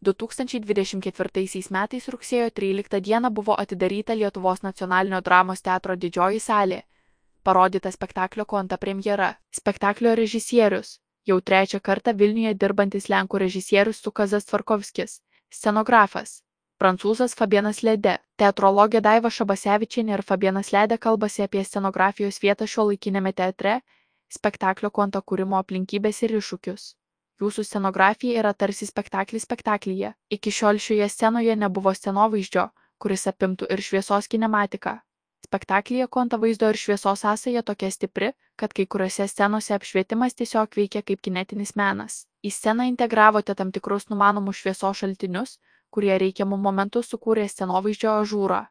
2024 metais rugsėjo 13 dieną buvo atidaryta Lietuvos nacionalinio dramos teatro didžioji salė. Parodyta spektaklio Konta premjera. Spektaklio režisierius. Jau trečią kartą Vilniuje dirbantis lenkų režisierius Sukazas Tvarkovskis. Scenografas. Prancūzas Fabienas Lede. Teatrologė Daiva Šabasevičienė ir Fabienas Lede kalbasi apie scenografijos vietą šiuolaikinėme teatre, spektaklio Konta kūrimo aplinkybės ir iššūkius. Jūsų scenografija yra tarsi spektaklis spektaklyje. Iki šiol šioje scenoje nebuvo scenovaizdžio, kuris apimtų ir šviesos kinematiką. Spektaklyje Konta vaizdo ir šviesos sąsaja tokia stipri, kad kai kuriuose scenose apšvietimas tiesiog veikia kaip kinetinis menas. Į sceną integravote tam tikrus numanomus šviesos šaltinius, kurie reikiamų momentų sukūrė scenovaizdžio ažūrą.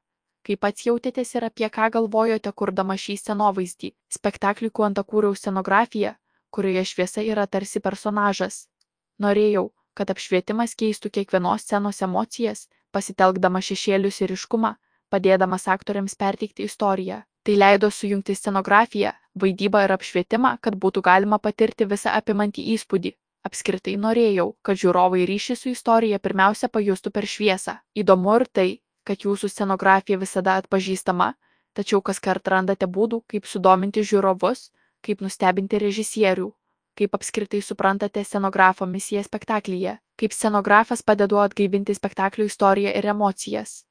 Kaip pats jautėtės ir apie ką galvojote kurdama šį scenovaizdį? Spektakliui Konta kūriau scenografiją, kurioje šviesa yra tarsi personažas. Norėjau, kad apšvietimas keistų kiekvienos scenos emocijas, pasitelkdama šešėlius ir ryškumą, padėdamas aktoriams perteikti istoriją. Tai leido sujungti scenografiją, vaidybą ir apšvietimą, kad būtų galima patirti visą apimantį įspūdį. Apskritai norėjau, kad žiūrovai ryšį su istorija pirmiausia pajustų per šviesą. Įdomu ir tai, kad jūsų scenografija visada atpažįstama, tačiau kaskart randate būdų, kaip sudominti žiūrovus, kaip nustebinti režisierių, kaip apskritai suprantate scenografo misiją spektaklyje, kaip scenografas padedu atgaivinti spektaklio istoriją ir emocijas.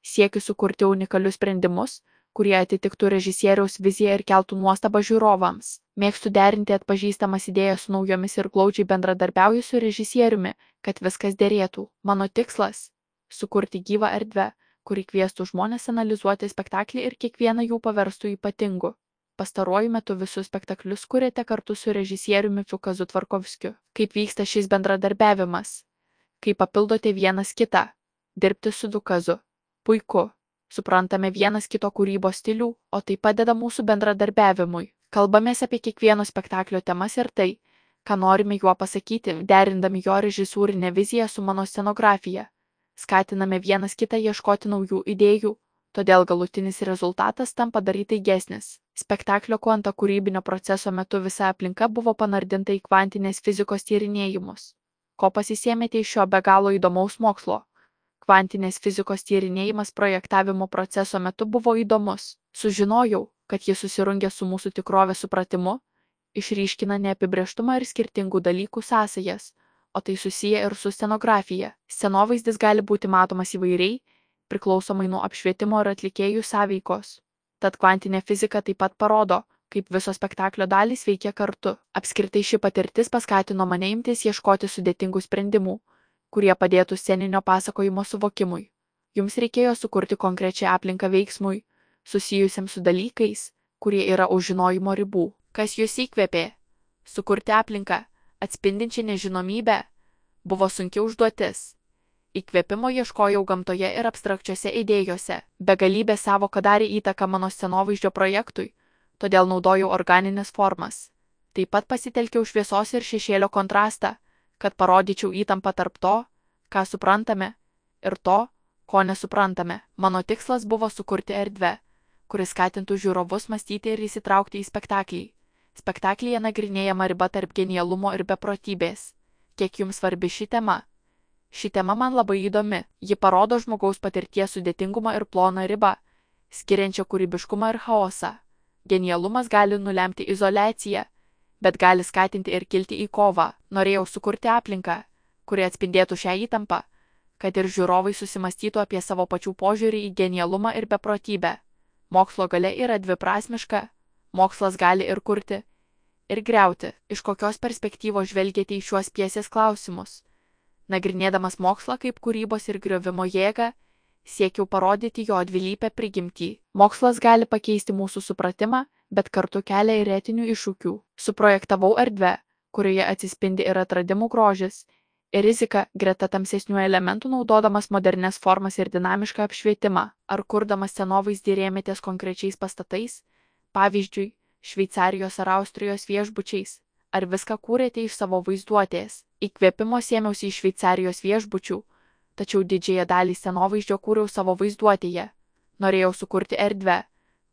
Siekiu sukurti unikalius sprendimus, kurie atitiktų režisieriaus viziją ir keltų nuostabą žiūrovams. Mėgstu derinti atpažįstamas idėjas su naujomis ir glaudžiai bendradarbiauju su režisieriumi, kad viskas derėtų. Mano tikslas – sukurti gyvą erdvę, kuri kviestų žmones analizuoti spektaklį ir kiekvieną jų paverstų ypatingu. Pastaruoju metu visus spektaklius kuriate kartu su režisieriumi Sukazu Tvarkovskiu. Kaip vyksta šis bendradarbiavimas? Kaip papildote vienas kitą? Dirbti su Sukazu. Puiku. Suprantame vienas kito kūrybos stilių, o tai padeda mūsų bendradarbiavimui. Kalbamės apie kiekvieno spektaklio temas ir tai, ką norime juo pasakyti, derindami jo režisūrinę viziją su mano scenografija. Skatiname vienas kitą ieškoti naujų idėjų, todėl galutinis rezultatas tampa dar įtaigesnis. Spektaklio Konta kūrybinio proceso metu visa aplinka buvo panardinta į kvantinės fizikos tyrinėjimus. Ko pasisėmėte iš šio be galo įdomaus mokslo? Kvantinės fizikos tyrinėjimas projektavimo proceso metu buvo įdomus. Sužinojau, kad jis susirungia su mūsų tikrovės supratimu, išryškina neapibrėžtumą ir skirtingų dalykų sąsajas, o tai susiję ir su scenografija. Scenovaizdis gali būti matomas įvairiai, priklausomai nuo apšvietimo ir atlikėjų sąveikos. Tad kvantinė fizika taip pat parodo, kaip visos spektaklio dalys veikia kartu. Apskritai ši patirtis paskatino mane imtis ieškoti sudėtingų sprendimų, kurie padėtų sceninio pasakojimo suvokimui. Jums reikėjo sukurti konkrečią aplinką veiksmui, susijusiam su dalykais, kurie yra už žinojimo ribų. Kas jūs įkvėpė? Sukurti aplinką, atspindinčią nežinomybę, buvo sunki užduotis. Įkvėpimo ieškojau gamtoje ir abstrakčiose idėjose. Begalybė sąvoka darė įtaką mano scenovaizdžio projektui, todėl naudojau organines formas. Taip pat pasitelkiau šviesos ir šešėlio kontrastą, kad parodyčiau įtampą tarp to, ką suprantame, ir to, ko nesuprantame. Mano tikslas buvo sukurti erdvę, kuris skatintų žiūrovus mąstyti ir įsitraukti į spektaklį. Spektaklyje nagrinėjama riba tarp genialumo ir beprotybės. Kiek jums svarbi ši tema? Ši tema man labai įdomi. Ji parodo žmogaus patirties sudėtingumą ir ploną ribą, skiriančią kūrybiškumą ir chaosą. Genialumas gali nulemti izoliaciją, bet gali skatinti ir kilti į kovą. Norėjau sukurti aplinką, kuri atspindėtų šią įtampą, kad ir žiūrovai susimastytų apie savo pačių požiūrį į genialumą ir beprotybę. Mokslo galia yra dviprasmiška. Mokslas gali ir kurti, ir griauti. Iš kokios perspektyvos žvelgiate į šiuos pjesės klausimus? Nagrinėdamas mokslą kaip kūrybos ir griovimo jėgą, siekiau parodyti jo dvilypę prigimtį. Mokslas gali pakeisti mūsų supratimą, bet kartu kelia ir etinių iššūkių. Suprojektavau erdvę, kurioje atsispindi ir atradimų grožis, ir rizika greta tamsesnių elementų naudodamas modernes formas ir dinamišką apšvietimą. Ar kurdamas scenovaizdį rėmėtės konkrečiais pastatais, pavyzdžiui, Šveicarijos ar Austrijos viešbučiais? Ar viską kūrėte iš savo vaizduotės? Įkvėpimo sėmiausi iš Šveicarijos viešbučių, tačiau didžiąją dalį scenovaizdžio kūriau savo vaizduotėje. Norėjau sukurti erdvę,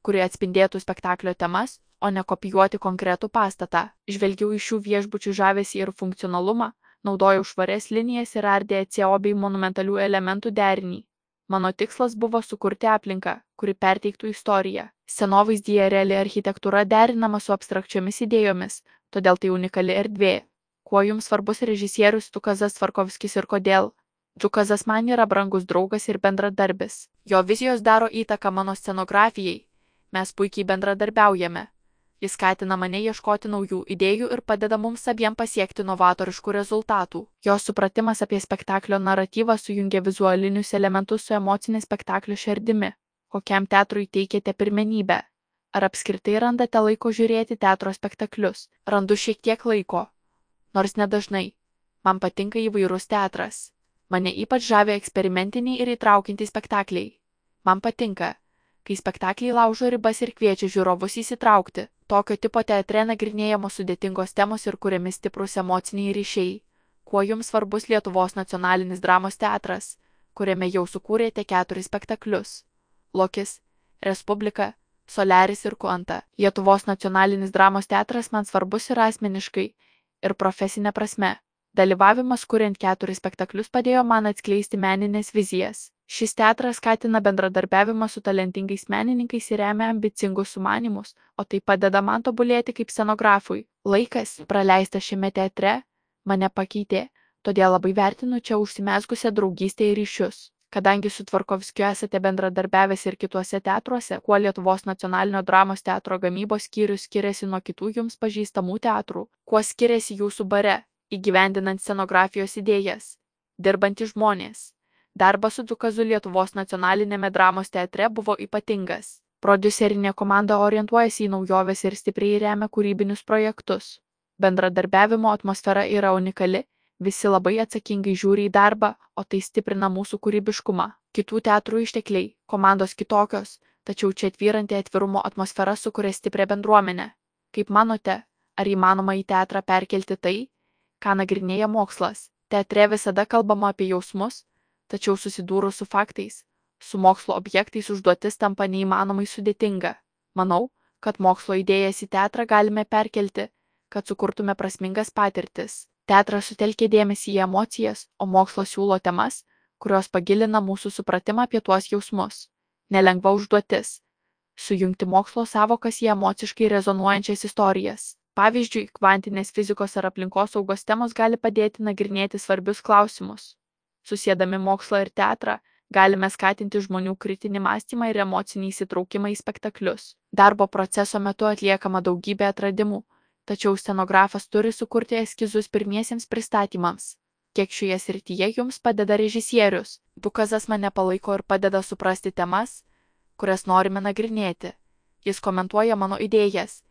kuri atspindėtų spektaklio temas, o ne kopijuoti konkretų pastatą. Žvelgiau iš šių viešbučių žavesį ir funkcionalumą, Naudojau švarias linijas ir RDCO bei monumentalių elementų derinį. Mano tikslas buvo sukurti aplinką, kuri perteiktų istoriją. Scenovaizdyje reali architektūra derinama su abstrakčiomis idėjomis, todėl tai unikali erdvė. Kuo jums svarbus režisierius Džukasas Tvarkovskis ir kodėl? Džukasas man yra brangus draugas ir bendradarbis. Jo vizijos daro įtaką mano scenografijai. Mes puikiai bendradarbiaujame. Jis skatina mane ieškoti naujų idėjų ir padeda mums abiem pasiekti novatoriškų rezultatų. Jo supratimas apie spektaklio naratyvą sujungia vizualinius elementus su emocinė spektaklio širdimi. Kokiam teatrui teikiate pirmenybę? Ar apskritai randate laiko žiūrėti teatro spektaklius? Randu šiek tiek laiko. Nors nedažnai. Man patinka įvairus teatras. Mane ypač žavi eksperimentiniai ir įtraukintys spektakliai. Man patinka, kai spektakliai laužo ribas ir kviečia žiūrovus įsitraukti. Tokio tipo teatre nagrinėjamos sudėtingos temos ir kuriami stiprūs emociniai ryšiai. Kuo jums svarbus Lietuvos nacionalinis dramos teatras, kuriame jau sukūrėte 4 spektaklius? Lokis, Respublika, Soliaris ir Kuanta. Lietuvos nacionalinis dramos teatras man svarbus ir asmeniškai, ir profesinė prasme. Dalyvavimas kuriant 4 spektaklius padėjo man atskleisti meninės vizijas. Šis teatras skatina bendradarbiavimą su talentingais menininkais ir remia ambicingus sumanymus, o tai padeda man tobulėti kaip scenografui. Laikas, praleistas šiame teatre, mane pakeitė, todėl labai vertinu čia užsimezgusią draugystę ir ryšius. Kadangi su Tvarkovskiu esate bendradarbiavęs ir kituose teatruose, kuo Lietuvos nacionalinio dramos teatro gamybos skyrius skiriasi nuo kitų jums pažįstamų teatrų, kuo skiriasi jūsų bare, įgyvendinant scenografijos idėjas, dirbantys žmonės. Darbas su Džukasu Lietuvos nacionalinėme dramos teatre buvo ypatingas. Prodiuserinė komanda orientuojasi į naujoves ir stipriai remia kūrybinius projektus. Bendradarbiavimo atmosfera yra unikali, visi labai atsakingai žiūri į darbą, o tai stiprina mūsų kūrybiškumą. Kitų teatrų ištekliai, komandos kitokios, tačiau čia tvyranti atvirumo atmosfera sukuria stiprią bendruomenę. Kaip manote, ar įmanoma į teatrą perkelti tai, ką nagrinėja mokslas? Teatre visada kalbama apie jausmus, tačiau susidūrus su faktais, su mokslo objektais užduotis tampa neįmanomai sudėtinga. Manau, kad mokslo idėjas į teatrą galime perkelti, kad sukurtume prasmingas patirtis. Teatras sutelkia dėmesį į emocijas, o mokslo siūlo temas, kurios pagilina mūsų supratimą apie tuos jausmus. Nelengva užduotis – sujungti mokslo savokas į emociškai rezonuojančias istorijas. Pavyzdžiui, kvantinės fizikos ar aplinkosaugos temos gali padėti nagrinėti svarbius klausimus. Susiedami mokslą ir teatrą, galime skatinti žmonių kritinį mąstymą ir emocinį įsitraukimą į spektaklius. Darbo proceso metu atliekama daugybė atradimų, tačiau scenografas turi sukurti eskizus pirmiesiems pristatymams. Kiek šioje srityje jums padeda režisierius? Džukasas mane palaiko ir padeda suprasti temas, kurias norime nagrinėti. Jis komentuoja mano idėjas,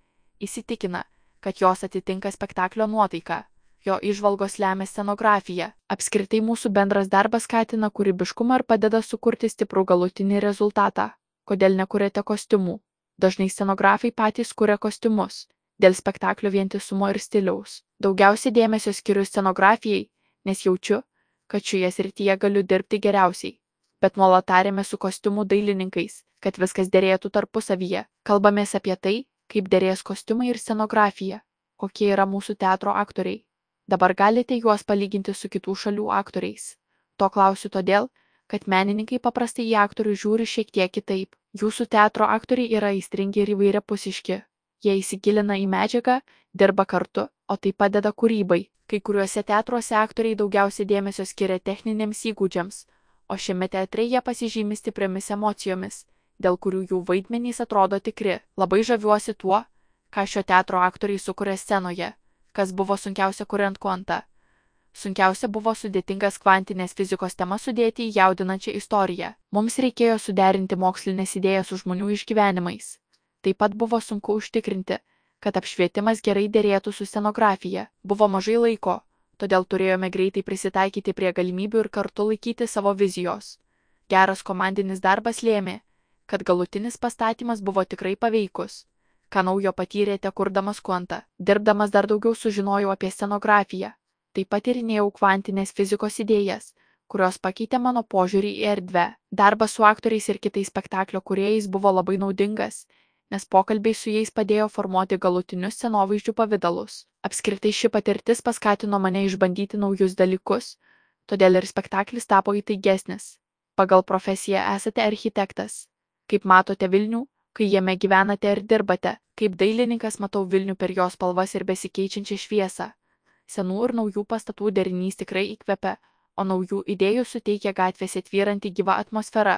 įsitikina, kad jos atitinka spektaklio nuotaiką. Jo įžvalgos lemia scenografiją. Apskritai mūsų bendras darbas skatina kūrybiškumą ir padeda sukurti stiprų galutinį rezultatą. Kodėl nekuriate kostiumų? Dažnai scenografai patys kuria kostiumus. Dėl spektaklio vientisumo ir stiliaus. Daugiausiai dėmesio skiriu scenografijai, nes jaučiu, kad šioje srityje galiu dirbti geriausiai. Bet nuolat tariamės su kostiumų dailininkais, kad viskas derėtų tarpusavyje. Kalbamės apie tai, kaip derės kostiumai ir scenografija, kokie yra mūsų teatro aktoriai. Dabar galite juos palyginti su kitų šalių aktoriais. To klausiu todėl, kad menininkai paprastai į aktorių žiūri šiek tiek kitaip. Jūsų teatro aktoriai yra aistringi ir įvairiapusiški. Jie įsigilina į medžiagą, dirba kartu, o tai padeda kūrybai. Kai kuriuose teatruose aktoriai daugiausiai dėmesio skiria techniniams įgūdžiams, o šiame teatre jie pasižymi stipriamis emocijomis, dėl kurių jų vaidmenys atrodo tikri. Labai žaviuosi tuo, ką šio teatro aktoriai sukuria scenoje. Kas buvo sunkiausia kuriant Kuantą? Sunkiausia buvo sudėtingas kvantinės fizikos temas sudėti į jaudinančią istoriją. Mums reikėjo suderinti mokslinės idėjas su žmonių išgyvenimais. Taip pat buvo sunku užtikrinti, kad apšvietimas gerai derėtų su scenografija. Buvo mažai laiko, todėl turėjome greitai prisitaikyti prie galimybių ir kartu laikyti savo vizijos. Geras komandinis darbas lėmė, kad galutinis pastatymas buvo tikrai paveikus. Ką naujo patyrėte kurdamas Kuantą? Dirbdamas dar daugiau sužinojau apie scenografiją. Taip pat tyrinėjau kvantinės fizikos idėjas, kurios pakeitė mano požiūrį į erdvę. Darbas su aktoriais ir kitais spektaklio kūrėjais buvo labai naudingas, nes pokalbiai su jais padėjo formuoti galutinius scenovaizdžių pavidalus. Apskritai ši patirtis paskatino mane išbandyti naujus dalykus, todėl ir spektaklis tapo įtaigesnis. Pagal profesiją esate architektas. Kaip matote Vilnių, kai jame gyvenate ir dirbate? Kaip dailininkas matau Vilnių per jos spalvas ir besikeičiančią šviesą. Senų ir naujų pastatų derinys tikrai įkvepia, o naujų idėjų suteikia gatvėse tvyranti gyva atmosfera.